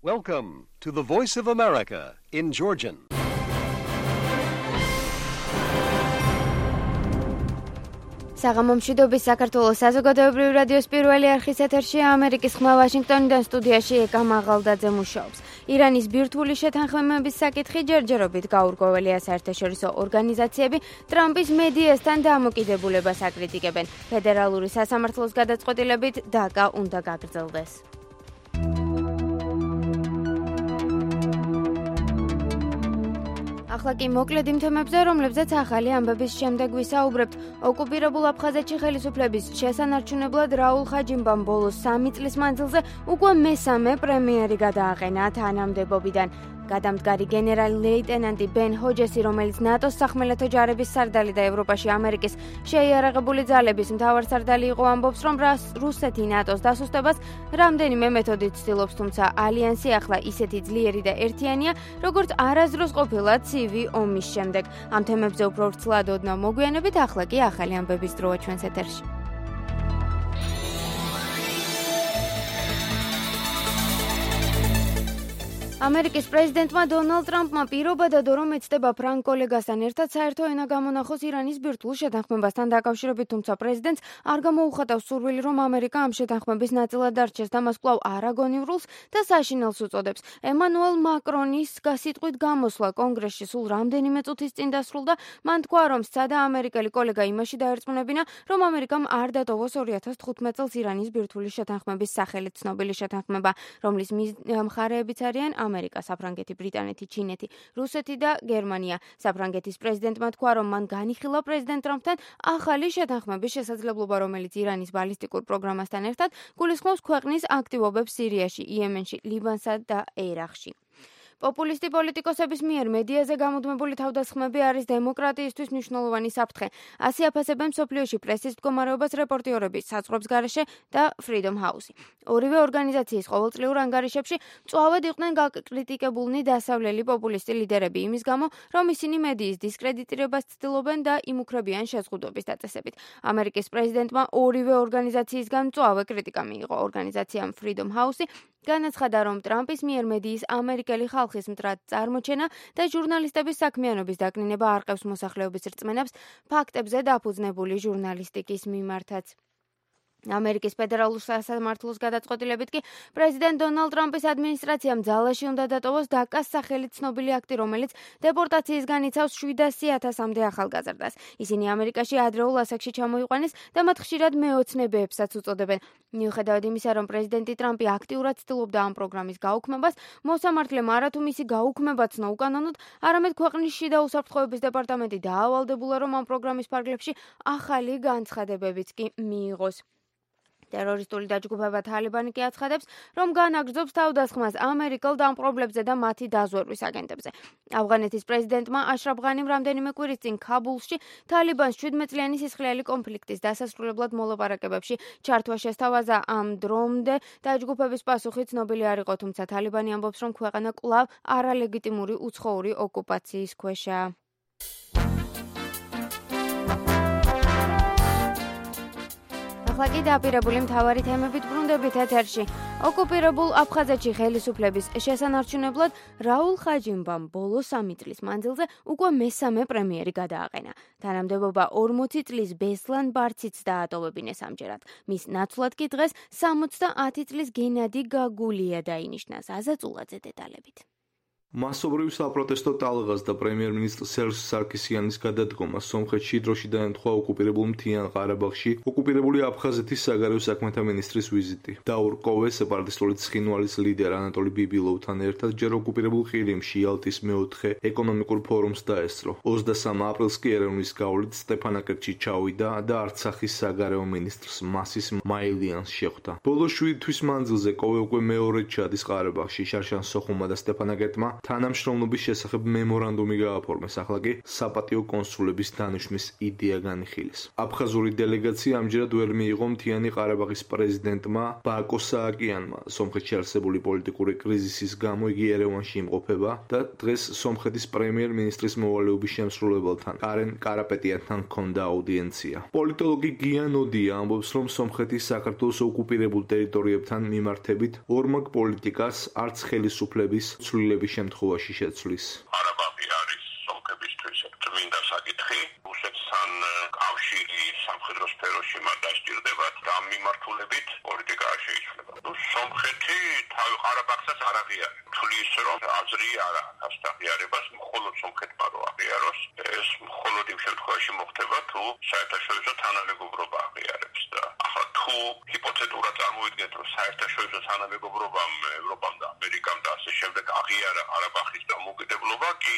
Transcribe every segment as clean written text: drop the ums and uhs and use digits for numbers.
Welcome to the Voice of America in Georgian. საღამომშვიდობის საქართველოს საზოგადოებრივი რადიოს პირველი არხის ეთერში ამერიკის ხმა ვაშინგტონიდან სტუდიაში ეკა მაღალდაძე მუშაობს. ირანის ბირთვული შეთანხმებების საკითხი ჯერჯერობით გაურკვეველია საერთაშორისო ორგანიზაციები ტრამპის მედიასთან დამოკიდებულებას აკრიტიკებენ. ფედერალური სასამართლოს გადაწყვეტილებით დაკა უნდა გაგრძელდეს. ახლა კი მოკლედ იმ თემებზე, რომლებზეც ახალი ამბების შემდეგ ვისაუბრებთ. ოკუპირებულ აფხაზეთში ხელისუფლების შესანარჩუნებლად რაულ ხაჯიმბამ ბოლოს 3 წლის მანძილზე უკვე მესამე პრემიერი გადააყენა თანამდებობიდან. გადამდგარი გენერალი ლეიტენანტი ბენ ჰოჯესი, რომელიც ნატოს სახმელეთო ჯარების სარდალი და ევროპაში ამერიკის შეიარაღებული ძალების მთავარსარდალი იყო, ამბობს, რომ რუსეთი ნატოს დასუსტებას რამდენიმე მეთოდით ცდილობს, თუმცა ალიანსი ახლა ისეთი ძლიერი და ერთიანია, როგორც არასდროს ყოფილა ცივი ომის შემდეგ. ამ თემებზე უფრო ვრცლად ოდნავ მოგვიანებით, ახლა კი ახალი ამბების დროა ჩვენს ეთერში. ამერიკის პრეზიდენტმა დონალდ ტრამპმა პირობა დადო, რომ ეცდება ფრანგ კოლეგასთან ერთად საერთო ენა გამონახოს ირანის ბირთვულ შეთანხმებასთან დაკავშირებით, თუმცა პრეზიდენტს არ გამოუხატავს სურვილი, რომ ამერიკა ამ შეთანხმების ნაწილად დარჩეს და მას კვლავ არაგონივრულს და საშინელს უწოდებს. ემანუელ მაკრონის სიტყვით გამოსვლა კონგრესში სულ რამდენიმე წუთის წინ დასრულდა. მან თქვა, რომ სცადა ამერიკელი კოლეგა იმაში დაერწმუნებინა, რომ ამერიკამ არ დატოვოს 2015 წელს ირანის ბირთვული შეთანხმების სახელით ცნობილი შეთანხმება, რომლის მხარეებიც არიან ამერიკა, საფრანგეთი, ბრიტანეთი, ჩინეთი, რუსეთი და გერმანია. საფრანგეთის პრეზიდენტმა თქვა, რომ მან განიხილა პრეზიდენტ ტრამპთან ახალი შეთანხმების შესაძლებლობა, რომელიც ირანის ბალისტიკურ პროგრამასთან ერთად გულისხმობს ქვეყნის აქტივობებს სირიაში, იემენში, ლიბანსა და ერაყში. პოპულისტი პოლიტიკოსების მიერ მედიაზე გამუდმებული თავდასხმები არის დემოკრატიისთვის მნიშვნელოვანი საფრთხე. ასე აფასებენ მსოფლიოში პრესის მდგომარეობას რეპორტიორები, საწყობს გარეშე და Freedom House. ორივე ორგანიზაციის ყოველწლიურ ანგარიშებში მწვავედ იყვნენ გაკრიტიკებულნი დასავლელი პოპულისტი ლიდერები იმის გამო, რომ ისინი მედიის დისკრედიტირებას ცდილობენ და იმუქრებიან შეზღუდვების დაწესებით. ამერიკის პრეზიდენტმა ორივე ორგანიზაციისგან მწვავე კრიტიკა მიიღო. ორგანიზაციამ Freedom House განაცხადა, რომ ტრამპის მიერ მედიის ამერიკელი ხალხის მტრად წარმოჩენა და ჟურნალისტების საქმიანობის დაკნინება არყევს მოსახლეობის რწმენებს ფაქტებზე დაფუძნებული ჟურნალისტიკის მიმართაც. ამერიკის ფედერალურ სასამართლოს გადაწყვეტილებით კი პრეზიდენტ დონალდ ტრამპის ადმინისტრაციამ ძალაში უნდა დატოვოს დაკას სახელით ცნობილი აქტი, რომელიც დეპორტაციისგან იცავს 700,000-მდე ახალგაზრდას. ისინი ამერიკაში ადრეულ ასაკში ჩამოიყვანეს და მათ ხშირად მეოცნებებსაც უწოდებენ. მიუხედავად იმისა, რომ პრეზიდენტი ტრამპი აქტიურად ცდილობდა ამ პროგრამის გაუქმებას, მოსამართლემ არათუ მისი გაუქმება ცნო უკანონოდ, არამედ ქვეყნის შიდა უსაფრთხოების დეპარტამენტი დაავალდებულა, რომ ამ პროგრამის ფარგლებში ახალი განცხადებებიც კი მიიღოს. ტერორისტული დაჯგუფება თალიბანი კი აცხადებს, რომ განაგრძობს თავდასხმას ამერიკელ დამპყრობლებზე და მათი დაზვერვის აგენტებზე. ავღანეთის პრეზიდენტმა აშრაფ ღანიმ რამდენიმე კვირის წინ ქაბულში თალიბანს 17 წლიანი სისხლიანი კონფლიქტის დასასრულებლად მოლაპარაკებებში ჩართვა შესთავაზა. ამ დრომდე დაჯგუფების პასუხი ცნობილი არ იყო, თუმცა თალიბანი ამბობს, რომ ქვეყანა კვლავ არალეგიტიმური უცხოური ოკუპაციის ქვეშაა. ახლა კი დაპირებული მთავარი თემებით ბრუნდებით ეთერში. ოკუპირებულ აფხაზეთში ხელისუფლების შესანარჩუნებლად რაულ ხაჯიმბამ ბოლო 3 წლის მანძილზე უკვე მესამე პრემიერი გადააყენა. თანამდებობა 40 წლის ბესლან ბარციც დაატოვებინეს ამჯერად. მის ნაცვლად კი დღეს 70 წლის გენადი გაგულია დაინიშნა. ზაზა წულაძე დეტალებით. მასობრივ საპროტესტო ტალღას და პრემიერ-მინისტრ სერჟ სარკისიანის გადადგომა სომხეთში დროში დაემთხვა ოკუპირებულ მთიან ყარაბაღში ოკუპირებული აფხაზეთის საგარეო საქმეთა მინისტრის ვიზიტი. დაურყოვე სეპარატისტული ცხინვალის ლიდერ ანატოლი ბიბილოვთან ერთად ჯერ ოკუპირებულ ყირიმში იალტის მეოთხე ეკონომიკურ ფორუმს დაესწრო. 23 აპრილს კი ერევნის გავლით სტეფანაკერტში ჩავიდა და არცახის საგარეო მინისტრს მასის მაილიანს შეხვდა. ბოლო 7 თვის მანძილზე კოვე უკვე მეორედ ჩადის ყარაბაღში. შარშან სოხუმმა და სტეფანაკერტმა თანამშრომლობის შესახებ მემორანდუმი გააფორმეს, ახლა კი საპატიო კონსულების დანიშვნის იდეა განიხილეს. აფხაზური დელეგაცია ამჯერად ვერ მიიღო მთიანი ყარაბაღის პრეზიდენტმა ბაკო სააკიანმა. სომხეთში არსებული პოლიტიკური კრიზისის გამო იგი ერევანში იმყოფება და დღეს სომხეთის პრემიერ-მინისტრის მოვალეობის შემსრულებელთან კარენ კარაპეტიანთან ჰქონდა აუდიენცია. პოლიტოლოგი გია ნოდია ამბობს, რომ სომხეთის საქართველოს ოკუპირებულ ტერიტორიებთან მიმართებით ორმაგ პოლიტიკას არც ხელისუფლების ცვლილების შემთხვევაში შეცვლის. ყარაბაღი არის სომხებისთვის წმინდა საკითხი. რუსეთთან კავშირი სამხედრო სფეროში მათ დასჭირდებათ და ამ მიმართულებით პოლიტიკა არ შეიცვლება. სომხეთი თავი ყარაბაღსაც არ აღიარებს. თulis რომ აზრი არ აქვს აღიარებას მხოლოდ სომხეთმა რო აღიაროს, ეს მხოლოდ იმ შემთხვევაში მოხდება თუ საერთაშორისო თანამეგობრობა აღიარებს და ახლა თუ ჰიპოთეტურად წარმოვიდგენთ რომ საერთაშორისო თანამეგობრობამ ევროპამ და ამერიკამ და ასე შემდეგ აღიარა ყარაბაღის დამოუკიდებლობა, კი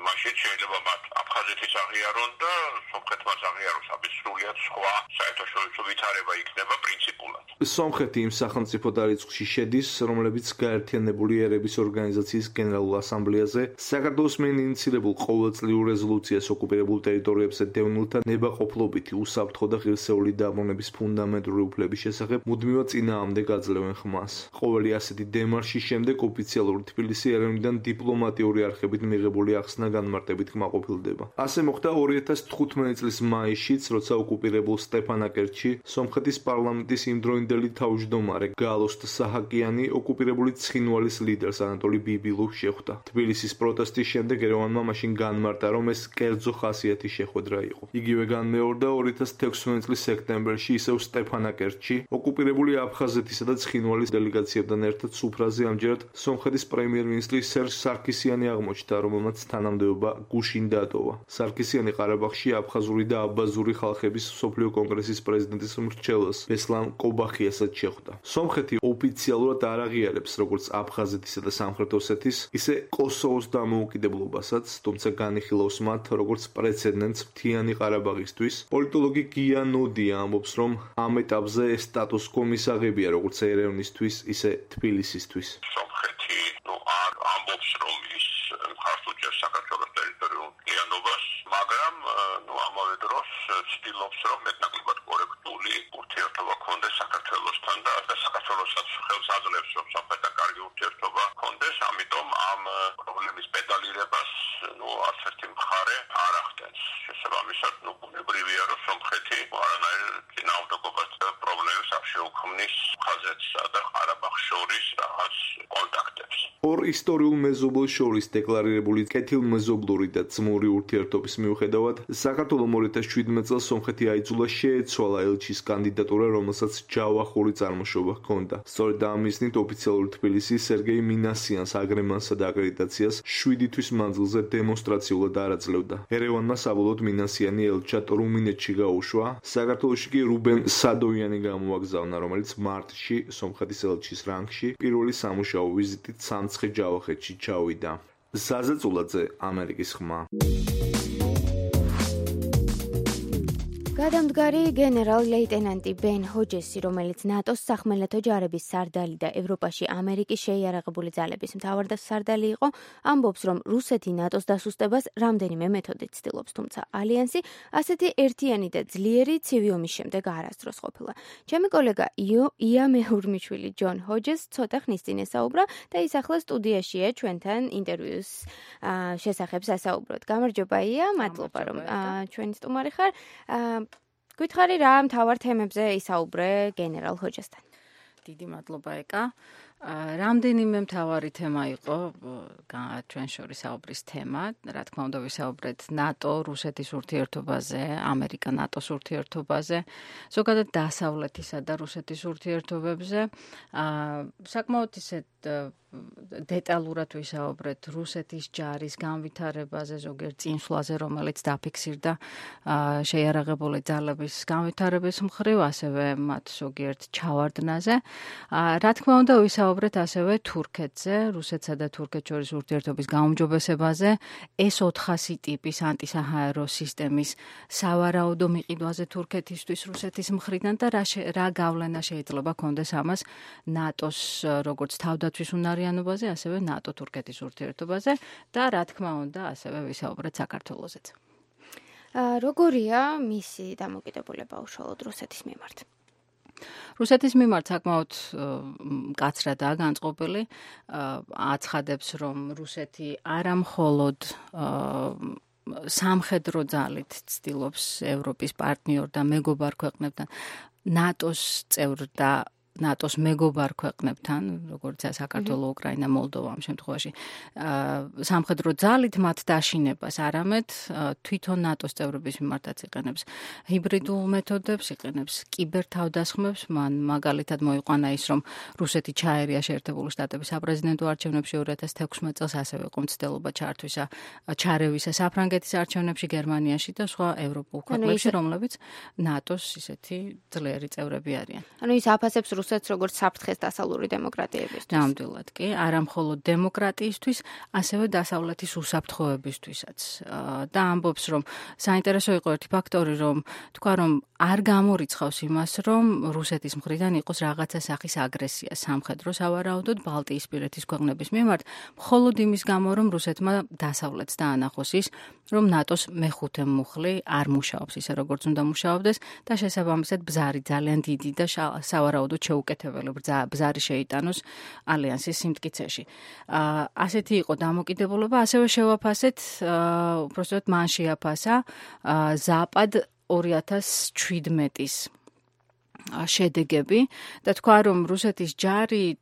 მაშინ შეიძლება მათ აფხაზეთის აღიარონ და სომხეთმაც აღიაროს, ამის სრულიად სხვა საერთაშორისო ვითარება იქნება პრინციპულად. სომხეთი იმ სახელმწიფო დარიცხში შედის, რომლებიც გაერთიანებული ერების ორგანიზაციის გენერალურ ასამბლეაზე საქართველოს მიერ ინიციირებულ ყოველწლიურ რეზოლუციას ოკუპირებულ ტერიტორიებზე დევნილთა ნებაყოფლობითი, უსაფრთხო და ღირსეული დაბრუნების ფუნდამენტური უფლების შესახებ მუდმივად წინააღმდეგ აძლევენ ხმას. ყოველი ასეთი დემარშის შემდეგ ოფიციალური თბილისი ერევნიდან დიპლომატიური არხებით მიღებული ახსნა განმარტებით კმაყოფილდება. ასე მოხდა 2015 წლის მაისშიც, როცა ოკუპირებულ სტეფანაკერტში სომხეთის პარლამენტის იმდროინდელი თავმჯდომარე გალოსტ საჰაკიანი ოკუპირებული ცხინვალის ლიდერს ანატოლი ბიბილოვს შეხვდა. თბილისის პროტესტის შემდეგ ერევანმა მაშინ განმარტა, რომ ეს კერძო ხასიათის შეხვედრა იყო. იგივე განმეორდა 2016 წლის სექტემბერში ისევ სტეფანაკერტში ოკუპირებული აფხაზეთისა და ცხინვალის დელეგაციებთან ერთად სუფრაზე ამჯერად სომხეთის პრემიერ-მინისტრი სერჟ სარქისიანი აღმოჩნდა, რომელმაც თანამდებობა გუშინ დატოვა. სარქისიანი ყარაბაღში აფხაზური და აბაზური ხალხების მსოფლიო კონგრესის პრეზიდენტის მრჩეველს ბესლან კობახიასაც შეხვდა. სომხეთი ოფიციალურად არ აღიარებს როგორც აფხაზეთისა და სამხრეთ ოსეთის, ისე კოსოვოს დამოუკიდებლობასაც, თუმცა განიხილავს მათ როგორც პრეცედენტს მთიანი ყარაბაღისთვის. პოლიტოლოგი გია ნოდია ამბობს, რომ ამ ეტაპზე ეს სტატუს კო მისაღებია როგორც ერევნისთვის, ისე თბილისისთვის. სომხეთი არ ამბობს, რომ ის მხარს უჭერს საქართველოს ტერიტორიულ მთლიანობას, მაგრამ ამავე დროს ცდილობს, რომ მეტნაკლებად კორექტული ურთიერთობა ქონდეს საქართველოსთან და საქართველოსაც ხელს აძლევს, რომ სომხეთთან კარგი ურთიერთობა ქონდეს, ამიტომ ამ პრობლემის პედალირებას არც ერთი მხარე არ ახდენს. შესაბამისად, ბუნებრივია, რომ სომხეთი არანაირ წინააღმდეგობას და პრობლემებს არ შეუქმნის აფხაზეთსა და ყარაბაღს შორის რაღაც კონტაქტებს. ორ ისტორიულ მეზობელს შორის დეკლარირებული კეთილმეზობლური და ძმური ურთიერთობის მიუხედავად, საქართველომ 2017 წელს სომხეთი აიძულა შეეცვალა ელჩის კანდიდატურა, რომელსაც ჯავახური წარმოშობა ჰქონდა. სწორედ ამ მიზნით ოფიციალური თბილისი სერგეი მინასიანს აგრემანსა და აკრედიტაციას 7 თვის მანძილზე დემონსტრაციულად არ აძლევდა. ერევანმა საბოლოოდ მინასიანი ელჩად რუმინეთში გაუშვა, საქართველოში კი რუბენ სადოიანი გამოაგზავნა, რომელიც მარტში სომხეთის ელჩის რანგში პირველი სამუშაო ვიზიტით სამცხე ჯავახეთში ჩავიდა. ზაზა წულაძე, ამერიკის ხმა. გადამდგარი გენერალ-ლეიტენანტი ბენ ჰოჯესი, რომელიც ნატოს სახმელეთო ჯარების სარდალი და ევროპაში ამერიკის შეიარაღებული ძალების მთავარსარდალი იყო, ამბობს, რომ რუსეთი ნატოს დასუსტებას რამდენიმე მეთოდით ცდილობს, თუმცა ალიანსი ასეთი ერთიანი და ძლიერი ცივი ომის შემდეგ არასდროს ყოფილა. ჩემი კოლეგა ია მეჰურმიშვილი ჯონ ჰოჯეს ცოტა ხნის წინ ესაუბრა და ის ახლა სტუდიაშია ჩვენთან ინტერვიუს შესახებ სასაუბროთ. გამარჯობა ია, მადლობა რომ ჩვენი სტუმარი ხარ. გითხარი რა მთავარ თემებზე ისაუბრე გენერალ ჰოჯესთან. დიდი მადლობა ეკა. რამდენიმე მთავარი თემა იყო ჩვენ შორის საუბრის თემა. რა თქმა უნდა ვისაუბრეთ ნატო, რუსეთის ურთიერთობაზე, ამერიკა-ნატოს ურთიერთობაზე, ზოგადად დასავლეთისა და რუსეთის ურთიერთობებზე. საკმაოდ ისეთ დეტალურად ვისაუბრეთ რუსეთის ჯარის განვითარებაზე, ზოგიერთ წინსვლაზე, რომელიც დაფიქსირდა შეიარაღებული ძალების განვითარების მხრივ, ასევე მათ ზოგიერთ ჩავარდნაზე. რა თქმა უნდა ვისაუბრეთ ასევე თურქეთზე, რუსეთსა და თურქეთს შორის ურთიერთობის გაუმჯობესებაზე, S-400 ტიპის ანტისაჰაერო სისტემის სავარაუდო მიყიდვაზე თურქეთისთვის რუსეთის მხრიდან და რა გავლენა შეიძლება კონდეს ამას ნატოს როგორც თავდაცვის ნატოთვის უნარიანობაზე, ასევე ნატო-თურქეთის ურთიერთობაზე და რა თქმა უნდა, ასევე ვისაუბრეთ საქართველოსეც. როგორია მისი დამოკიდებულება უშუალოდ რუსეთის მიმართ? რუსეთის მიმართ საკმაოდ მკაცრადაა განწყობილი, აცხადებს, რომ რუსეთი არა მხოლოდ სამხედრო ძალით ცდილობს ევროპის პარტნიორ და მეგობარ ქვეყნებთან, ნატოს წევრ და ნატოს მეგობარ ქვეყნებთან, როგორიცაა საქართველო, უკრაინა, მოლდოვა ამ შემთხვევაში, სამხედრო ძალით მათ დაშინებას, არამედ თვითონ ნატოს წევრების მიმართაც იყენებს ჰიბრიდულ მეთოდებს, იყენებს კიბერთავდასხმებს. მან მაგალითად მოიყვანა ის, რომ რუსეთი ჩაერია შეერთებული შტატების საპრეზიდენტო არჩევნებში 2016 წელს, ასევე იყო მცდელობა ჩარევისა საფრანგეთის არჩევნებში, გერმანიაში და სხვა ევროპულ ქვეყნებში, რომლებიც ნატოს ისეთი ძლიერი წევრები არიან. ანუ ის აფასებს რუსეთს როგორც საფრთხეს დასავლური დემოკრატიებისთვის. ნამდვილად კი, არა მხოლოდ დემოკრატიისთვის, ასევე დასავლეთის უსაფრთხოებისთვისაც. და ამბობს, რომ საინტერესო იყო ერთი ფაქტორი, რომ თქვა, რომ არ გამორიცხავს იმას, რომ რუსეთის მხრიდან იყოს რაღაცა სახის აგრესია სამხედრო სავარაუდოდ ბალტიისპირეთის ქვეყნების მიმართ, მხოლოდ იმის გამო, რომ რუსეთმა დასავლეთს დაანახოს ის, რომ ნატოს მეხუთე მუხლი არ მუშაობს ისე, როგორც უნდა მუშაობდეს და შესაბამისად ბზარი ძალიან დიდი და სავარაუდოდ შეუკეთებელი ბზარი შეიტანოს ალიანსის სიმტკიცეში. ასეთი იყო დამოკიდებულება, ასევე შევაფასეთ, უბრალოდ მან შეაფასა ზაპად 2017-ის შედეგები და თქვა, რომ რუსეთის ჯარი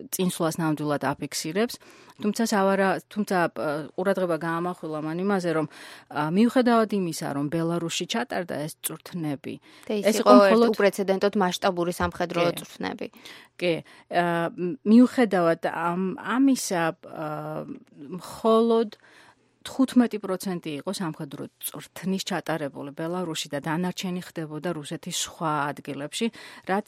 წინსვლას ნამდვილად აფიქსირებს, თუმცა ყურადღება გაამახვილა მან იმაზე, რომ მიუხედავად იმისა, რომ ბელარუსში ჩატარდა ეს წვრთნები, ეს იყო მხოლოდ უპრეცედენტოდ მასშტაბური სამხედრო წვრთნები. კი, მიუხედავად ამისა, მხოლოდ 15% იყო სამხედრო წვრთნის ჩატარებული ბელარუსში და დანარჩენი ხდებოდა რუსეთის სხვა ადგილებში, რაც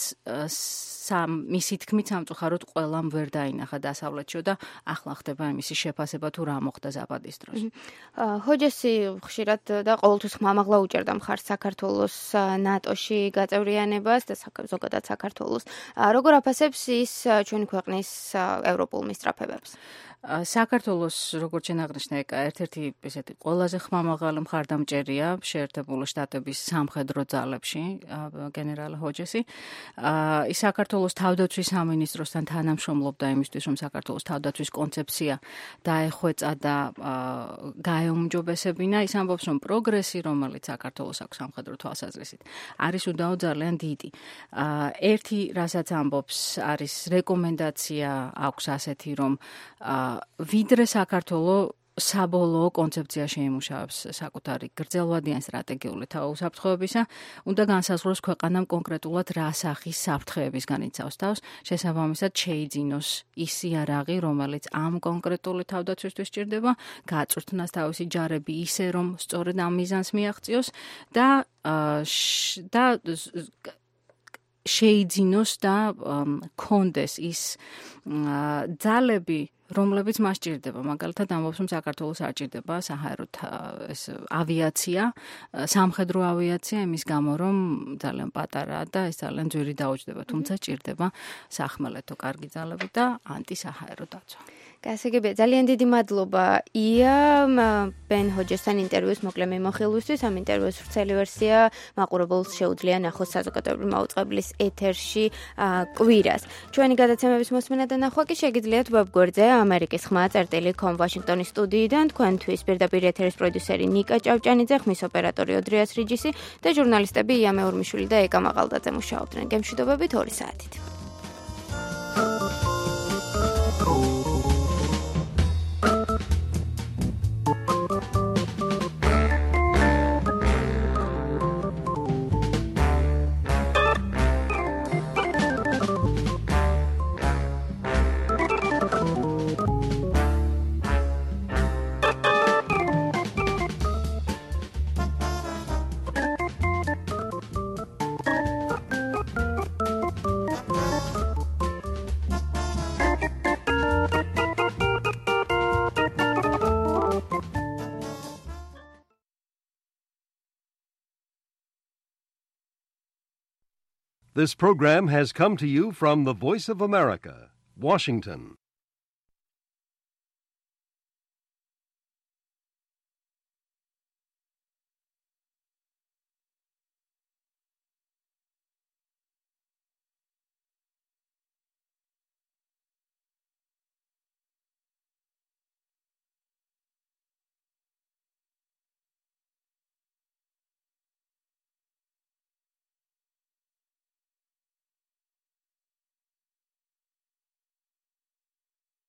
მისი თქმით სამწუხაროდ ყველამ ვერ დაინახა დასავლეთში და ახლა ხდება იმისი შეფასება თუ რა მოხდა ზაპადის დროს. ჰოჯესი ხშირად და ყოველთვის ხმამაღლა უჭერდა მხარს საქართველოს ნატოში გაწევრიანებას და ზოგადად საქართველოს. როგორ აფასებს ის ჩვენი ქვეყნის ევროპულ მისწრაფებებს? საქართველოს როგორც შენაღნიშნე ერთ-ერთი ესეთი ყველაზე ხმამაღალი მხარდამჭერია შეერთებული შტატების სამხედრო ძალებში გენერალ ჰოჯესი. ის საქართველოს თავდაცვის სამინისტროსთან თანამშრომლობდა იმისთვის, რომ საქართველოს თავდაცვის კონცეფცია დაეხვეწა და გაეუმჯობესებინა. ის ამბობს, რომ პროგრესი, რომელიც საქართველოს აქვს სამხედრო თვალსაზრისით, არის უდაო ძალიან დიდი. ერთი, რასაც ამბობს, არის რეკომენდაცია აქვს ასეთი, რომ ვიდრე საქართველოს საბოლოო კონცეფცია შეიმუშავებს საკუთარი გრძელვადიან სტრატეგიული თავისაფრთხოებისა, უნდა განსაზღვროს ქვეყანამ კონკრეტულად რა სახის საფრთხეებისგან იცავს თავს, შესაბამისად შეიძინოს ის იარაღი, რომელიც ამ კონკრეტული თავდაცვისთვის სჭირდება, გაწვრთნას თავისი ჯარები ისე, რომ სწორედ ამ მიზანს მიაღწიოს და შეიძინოს და კონდეს ის ძალები, რომლებიც მას ჭირდება. მაგალითად ამბობს, რომ საქართველოს არ ჭირდება საჰაერო ავიაცია, სამხედრო ავიაცია, იმის გამო, რომ ძალიან პატარაა და ეს ძალიან ძვირი დაუჯდება, თუმცა ჭირდება სახმელეთო კარგი ძალები და ანტისაჰაერო დაცვა. გასაგებია, ძალიან დიდი მადლობა ია ბენ ჰოჯესთან ინტერვიუს მოკლე მიმოხილვისთვის. ამ ინტერვიუს ვრცელი ვერსია მაყურებელს შეუძლია ნახოს საზოგადოებრივი მაუწყებლის ეთერში კვირას. ჩვენი გადაცემების მოსმენა და ნახვა კი შეგიძლიათ ვებგვერდზე amerikis.com ვაშინგტონის სტუდიიდან. თქვენთვის პირდაპირ ეთერის პროდიუსერი ნიკა ჭავჭანიძე, ხმის ოპერატორი ოდრიას რიჯისი და ჟურნალისტები ია მეურმიშვილი და ეკა მაყალდაძე მუშაობდნენ. გემშვიდობებით 2 საათით. This program has come to you from the Voice of America, Washington.